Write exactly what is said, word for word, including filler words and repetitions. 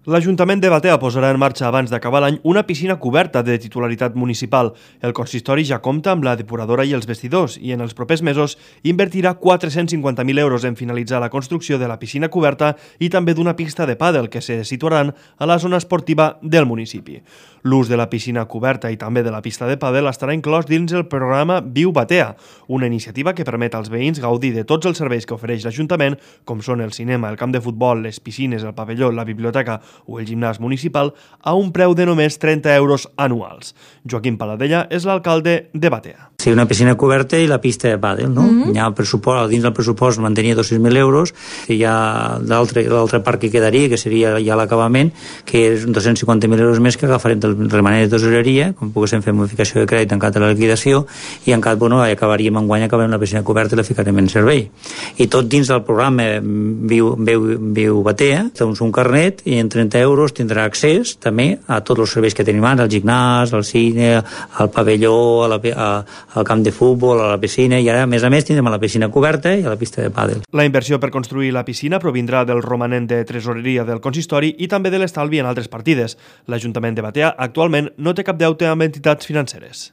L'Ajuntament de Batea posarà en marxa abans d'acabar l'any una piscina coberta de titularitat municipal. El consistori ja compta amb la depuradora i els vestidors i en els propers mesos invertirà quatre-cents cinquanta mil euros en finalitzar la construcció de la piscina coberta i també d'una pista de pàdel que se situaran a la zona esportiva del municipi. L'ús de la piscina coberta i també de la pista de pàdel estarà inclòs dins el programa Viu Batea, una iniciativa que permet als veïns gaudir de tots els serveis que ofereix l'Ajuntament, com són el cinema, el camp de futbol, les piscines, el pavelló, la biblioteca o el gimnàs municipal a un preu de només trenta euros anuals. Joaquim Paladella és l'alcalde de Batea. Sí, una piscina coberta i la pista de pàdel, no? Mm-hmm. Hi ha el pressupost, dins del pressupost mantenia dos-cents mil euros, i hi ha l'altre part que quedaria, que seria ja l'acabament, que és dos-cents cinquanta mil euros més que agafarem del remanent de tesoreria, com poguéssim fer modificació de crèdit en cas de la liquidació, i en cas, bueno, acabaríem enguany, acabarem la piscina coberta i la ficarem en servei. I tot dins del programa Viu, Viu, Viu Batea, doncs un carnet, i en trenta euros tindrà accés també a tots els serveis que tenim ara, al gimnàs, al cine, al pavelló, a la, a, al camp de futbol, a la piscina, i ara, a més a més, tindrem a la piscina coberta i a la pista de pàdel. La inversió per construir la piscina provindrà del romanent de tresoreria del consistori i també de l'estalvi en altres partides. L'Ajuntament de Batea actualment no té cap deute amb entitats financeres.